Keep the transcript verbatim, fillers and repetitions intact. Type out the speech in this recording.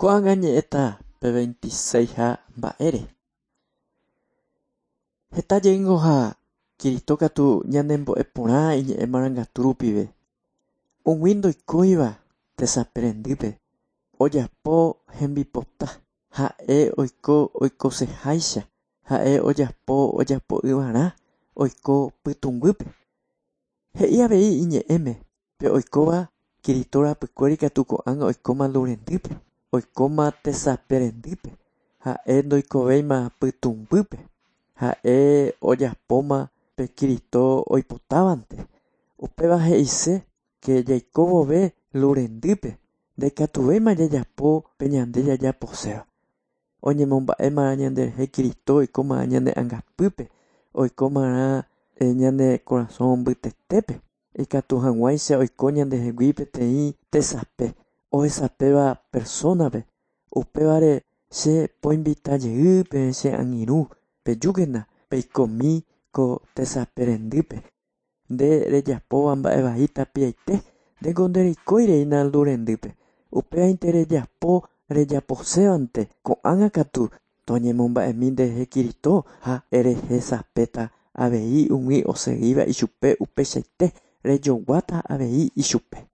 Ko'ág̃a ñe'ẽta pe veintiséiha mba'ére. Heta jeýngo ha Kirito katu ñanembo'e porã iñe'ẽ marangatu rupive. Umi ndoikóiva tesape ojapo hembipota ha'e oiko oikoseháicha ha'e ojapo ojapo'ỹvarã oiko pytũnguýpe. He'i avei iñe'ẽme pe oikóva Kirito rapykuéri katu ko'ág̃a oikóma lurendýpe, oikóma tesape rendýpe, ha'e ndoikovéima pytũmbýpe, ha'e ojapóma pe Kirito oipotávante. Upéva he'ise ke jaiko vove lurendýpe ndaikatuvéima jajapo pe ñande jajaposéva. Oñemomba'éma ñanderehe Kirito oikóma ñane angapýpe, oikómarã ñane korasõ mbytetépe ikatu hag̃uáicha oiko ñandehegui peteĩ tesape ohesapéva personape. Upévare che poinvita jey pe che angirũ pejúkena peikomi ko tesape rendýpe. Nde rejapóva mba'evai tapiaite ndéko ndereikóireína lurendýpe. Upévainte rejapo rejaposévante ko'ág̃a katu toñemomba'emi nderehe Kirito ha erehesapéta avei umi osegíva ichupe upeichaite rejoguáta avei ichupe.